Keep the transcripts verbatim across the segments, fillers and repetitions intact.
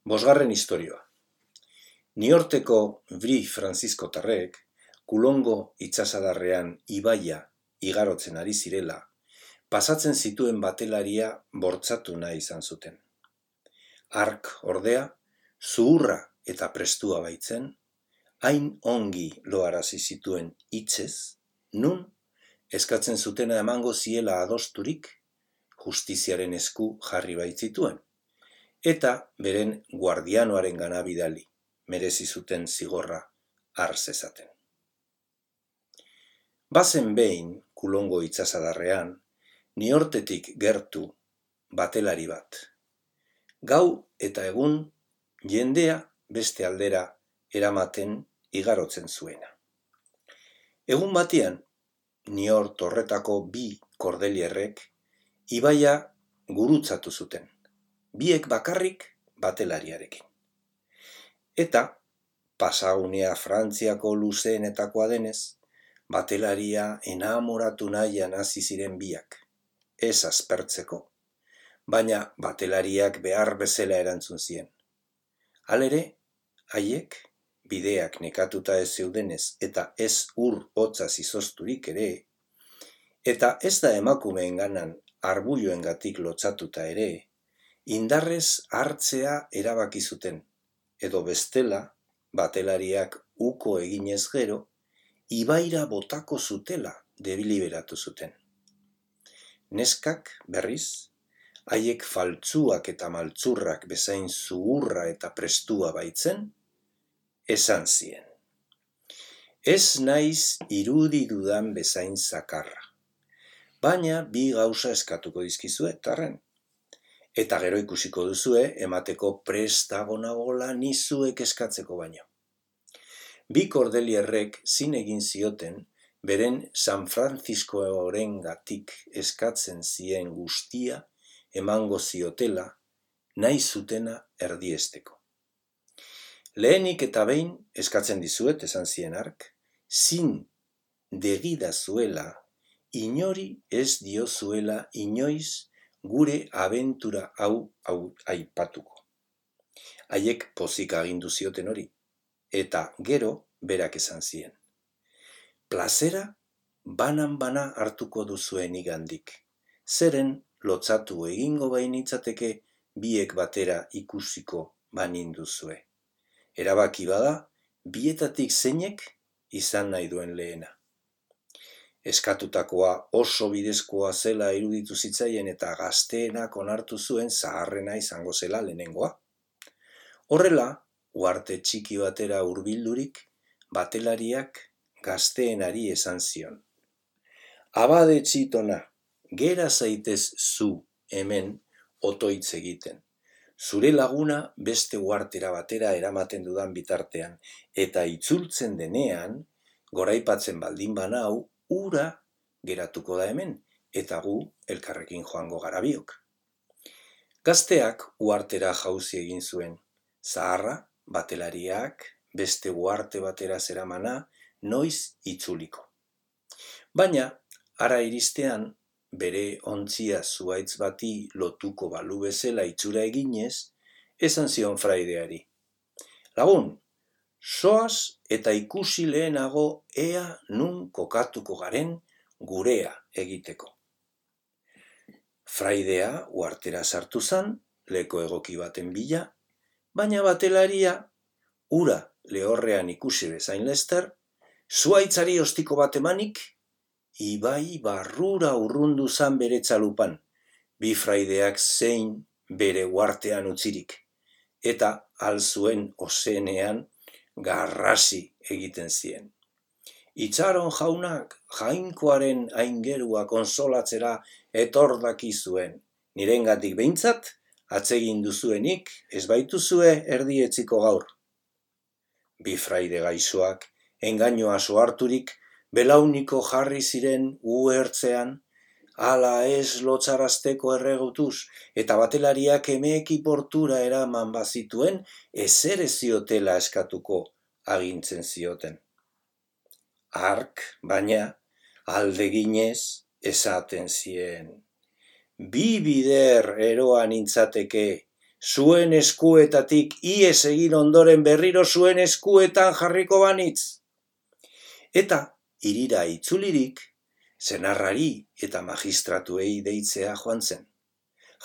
Bosgarren istorioa. Niorteko Bri Frantziskotarrek Kulongo itsasadarrean ibaia igarotzen ari zirela, pasatzen zituen batelaria bortxatu nahi izan zuten. Hark ordea, zuhurra eta prestua baitzen, hain ongi loarazi zituen hitzez, nun eskatzen zutena emango ziela adosturik, justiziaren esku jarri baitzituen, eta beren guardianoaren gana bidali, merezi zuten zigorra har zezaten. Bazen behin, Kulongo itsasadarrean, Niortetik gertu batelari bat. Gau eta egun jendea beste aldera eramaten igarotzen zuena. Egun batean, Niort horretako bi kordelierrek ibaia gurutzatu zuten, biek bakarrik batelariarekin. Eta, pasagunea Frantziako luzeenetakoa denez, batelaria enamoratu nahian hasi ziren biak, ez aspertzeko, baina batelariak behar bezala erantzun zien. Halere, haiek, bideak nekatuta ez zeudenez eta ez ur hotza zizozturik ere, eta ez da emakumeenganan arbulloengatik lotsatuta ere, indarrez hartzea erabaki zuten, edo bestela, batelariak uko eginez gero, ibaira botako zutela deliberatu zuten. Neskak, berriz, haiek faltsuak eta maltzurrak bezain zuhurra eta prestua baitzen, esan zien. Ez naiz irudi dudan bezain zakarra, baina bi gauza eskatuko dizkizuet arren. Eta gero ikusiko duzue emateko prestago nagola nizuek eskatzeko baino. Bi kordelierrek zin egin zioten beren San Frantziskoarengatik eskatzen zien guztia emango ziotela nahi zutena erdiesteko. Lehenik eta behin eskatzen dizuet esan zien hark, zin degidazuela inori ez diozuela inoiz gure abentura hau hau aipatuko. Haiek pozik agindu zioten hori, eta gero berak esan zien. Plazera banan-bana hartuko duzuen igandik, zeren lotsatu egingo bainitzateke biek batera ikusiko baninduzue. Erabaki bada, bietatik zeinek izan nahi duen lehena. Eskatutakoa oso bidezkoa zela iruditu zitzaien eta gazteenak onartu zuen zaharrena izango zela lehenengoa. Horrela, uharte txiki batera hurbildurik, batelariak gazteenari esan zion. Abade txitona, gera zaitez zu hemen otoitz egiten. Zure laguna beste uhartera batera eramaten dudan bitartean, eta itzultzen denean, goraipatzen baldin banau, ura geratuko da hemen, eta gu elkarrekin joango gara biok. Gazteak uhartera jauzi egin zuen, zaharra, batelariak, beste uharte batera zeramana, noiz itzuliko. Baina, hara iristean, bere ontzia zuhaitz bati lotuko balu bezala itxura eginez, esan zion fraideari. Lagun, soaz eta ikusi lehenago ea nun kokatuko garen gurea egiteko. Fraidea uhartera sartu zan, leko egoki baten bila, baina batelaria, ura lehorrean ikusi bezain lester, zuhaitzari ostiko bat emanik, ibai barrura urrundu zan bere txalupan, bi fraideak zein bere uhartean utzirik, eta alzuen ozenean garrasi egiten zien. Itxaron jaunak jainkoaren aingerua konsolatzera etordaki zuen, nirengatik behintzat, atsegin duzuenik ez baituzue erdietziko gaur. Bi fraide gaixoak, engainoa soharturik, belauniko jarri ziren uhertzean, ala ez lotsarazteko erregutuz, eta batelariak emeeki portura eraman bazituen, ezer ez ziotela eskatuko agintzen zioten. Hark, baina, aldeginez esaten zien. Bi bider eroa nintzateke, zuen eskuetatik ihes egin ondoren berriro zuen eskuetan jarriko banitz. Eta, hirira itzulirik, senarrari eta magistratuei deitzea joan zen.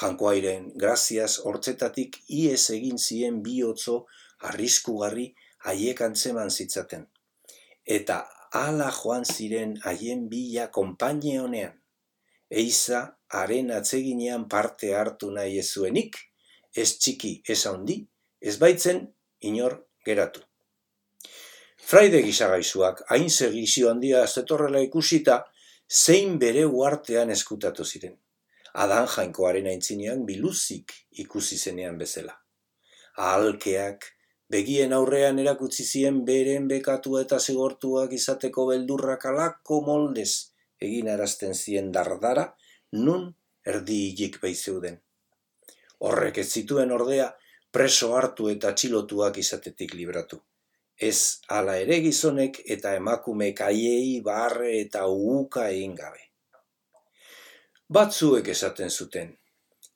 Jankoairen graziaz hortzetatik ihes egin zien bihotzo arriskugarri haiek antzeman zitzaten. Eta hala joan ziren haien bila konpainie honean. Eiza haren atseginean parte hartu nahi ez zuenik, ez txiki ez handi, ez baitzen inor geratu. Fraide gisagaizuak hain segizio handia zetorrela ikusita, zein bere uartean eskutatu ziren. Adan jainkoaren aintzinean biluzik ikusi zenean bezala. Ahalkeak begien aurrean erakutsi zien beren bekatua eta zigortuak izateko beldurrak alako moldez egin arazten zien dardara, nun erdi hilik baizeuden. Horrek ez zituen ordea preso hartu eta atxilotuak izatetik libratu. Ez hala ere gizonek eta emakumeek haiei barre eta uhuka egin gabe. Batzuek esaten zuten,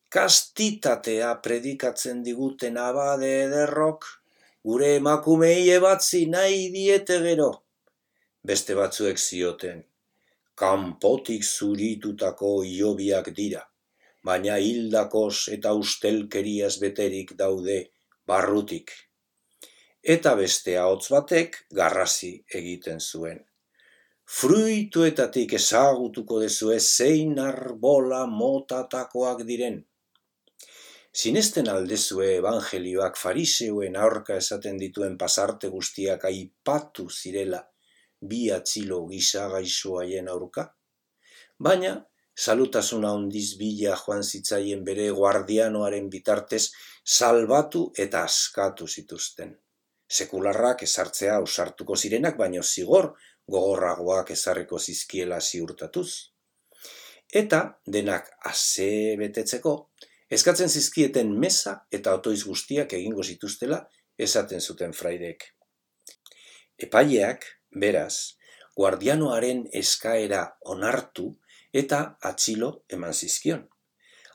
kastitatea predikatzen diguten abade ederrok, gure emakumei ebatzi nahi diete gero. Beste batzuek zioten, kanpotik zuritutako hilobiak dira, baina hildakos eta ustelkeriaz beterik daude barrutik. Eta beste ahots batek garrasi egiten zuen. Fruituetatik ezagutuko dezue zein arbola motatakoak diren. Sinesten aldezue evangelioak fariseuen aurka esaten dituen pasarte guztiak aipatu zirela bi atzilo gisagaisu haien aurka? Baina, salutasuna handiz bila joan zitzaien bere guardianoaren bitartez salbatu eta askatu zituzten. Sekularrak ezartzea ausartuko zirenak, baino zigor gogorragoak ezarriko zizkiela ziurtatuz. Eta denak ase betetzeko, eskatzen zizkieten meza eta otoiz guztiak egingo zituztela esaten zuten fraideek. Epaileak, beraz, guardianoaren eskaera onartu eta atxilo eman zizkion.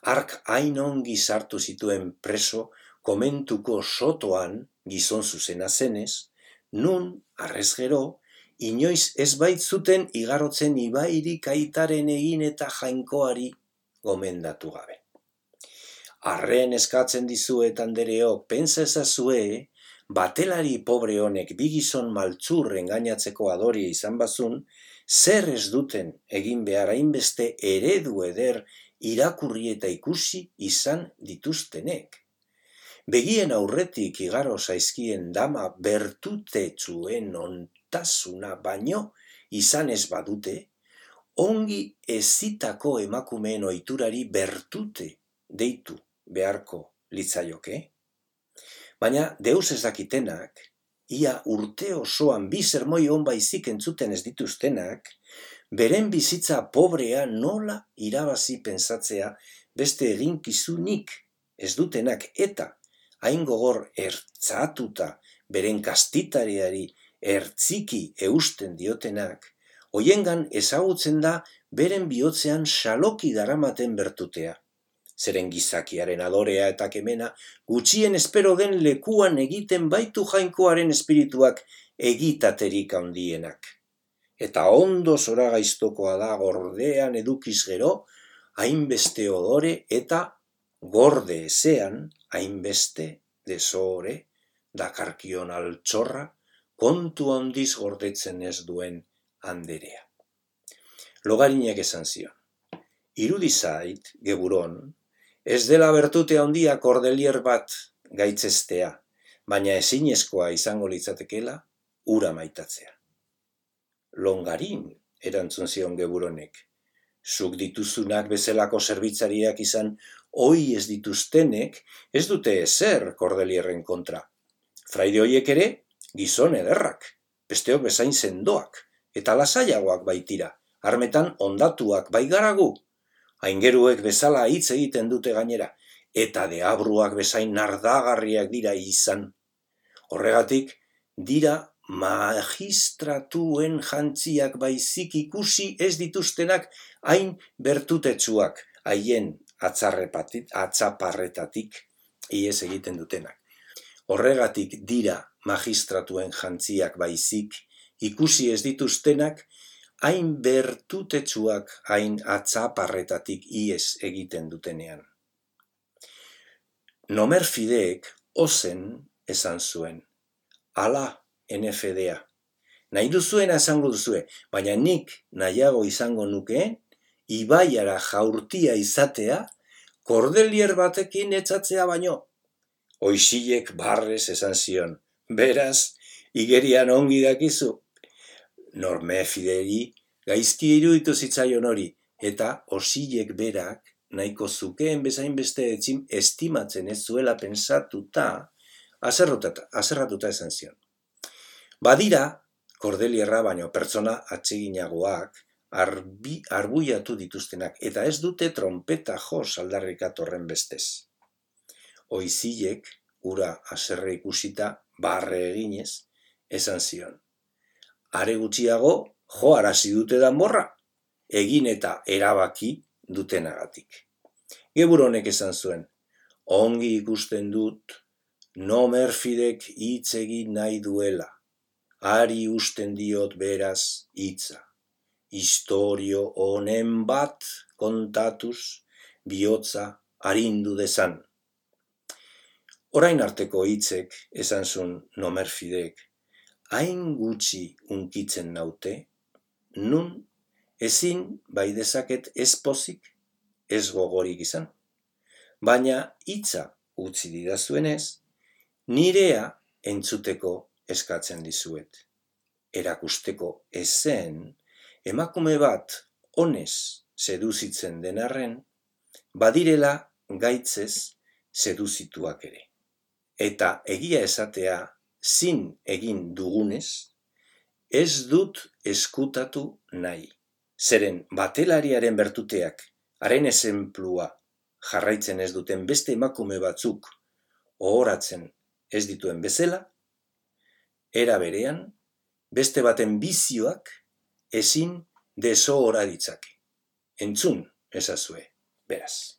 Hark hain ongi sartu zituen preso komentuko sotoan gizon zuzena zenez, nun, arrez gero, inoiz ez baitzuten igarotzen ibairik aitaren egin eta jainkoari gomendatu gabe. Arren eskatzen dizuet andereok, pentsa ezazue, batelari pobre honek bi gizon maltzur engainatzeko adoria izan bazun, zer ez duten egin behar hainbeste eredu eder irakurri eta ikusi izan dituztenek. Begien aurretik igaro zaizkien dama bertutetsuen ontasuna baino izan ez badute, ongi ezitako emakumeen ohiturari bertute deitu beharko litzaioke. Baina deus ez dakitenak, ia urte osoan bi sermoi on baizik entzuten ez dituztenak, beren bizitza pobrea nola irabazi pentsatzea beste eginkizunik ez dutenak eta hain gogor ertzatuta beren kastitariari ertziki eusten diotenak, hoiengan ezagutzen da beren bihotzean xaloki daramaten bertutea. Zeren gizakiaren adorea eta kemena gutxien espero den lekuan egiten baitu jainkoaren espirituak egitaterik handienak. Eta ondo zoragaiztokoa da gordean edukiz gero, hainbeste odore eta gorde ezean, hainbeste desore, dakarkion altxorra, kontu handiz gordetzen ez duen anderea. Logarinek esan zion, irudi zait, geburon, ez dela bertute handia kordelier bat gaitzestea, baina ezinezkoa izango litzatekela ura maitatzea. Longarin, erantzun zion geburonek, zuk dituzunak bezalako zerbitzariak izan ohi ez dituztenek, ez dute ezer kordelierren kontra. Fraide hoiek ere, gizon ederrak, besteok bezain sendoak, eta lasaiagoak baitira, armetan ondatuak baigaragu. Aingeruek bezala hitz egiten dute gainera, eta deabruak bezain nardagarriak dira izan. Horregatik, dira magistratuen jantziak baizik ikusi ez dituztenak hain bertutetsuak, haien atzaparretatik ihes egiten dutenak. Horregatik dira magistratuen jantziak baizik, ikusi ez dituztenak, hain bertutetsuak, hain atzaparretatik ihes egiten dutenean. Nomerfideek ozen esan zuen, ala N F D-a, nahi duzuena esango duzue, baina nik nahiago izango nukeen, ibaiara jaurtia izatea, kordelier batekin etxatzea baino. Oixilek barrez esan zion, beraz, igerian ongi dakizu. Nomerfideri gaizki iruditu zitzaion hori, eta Oixilek berak nahiko zukeen bezain beste estimatzen ez zuela pensatuta, azerratuta esan zion. Badira, kordelierra baino pertsona atseginagoak arbuiatu dituztenak, eta ez dute trompeta jos aldarrikatorren bestez. Oixilek, ura haserre ikusita, barre eginez, esan zion. Are gutxiago, jo arazi dute danborra, egin eta erabaki dutenagatik. Gebur honek esan zuen, ongi ikusten dut, Nomerfidek hitz egin nahi duela, ari usten diot beraz hitza. Historio honen bat kontatuz, bihotza arindu dezan. Orain arteko hitzek, esan zuen Nomerfidek, hain gutxi unkitzen naute, nun ezin bai dezaket ez pozik, ez gogorik izan. Baina hitza utzi didazuenez, nirea entzuteko eskatzen dizuet. Erakusteko ezen, emakume bat onez seduzitzen denarren, badirela gaitzez seduzituak ere. Eta egia esatea zin egin dugunez, ez dut eskutatu nahi. Zeren batelariaren bertuteak, haren ezenplua jarraitzen ez duten beste emakume batzuk ohoratzen ez dituen bezala, era berean, beste baten bizioak ezin desohora ditzake. Entzun ezazue, beraz.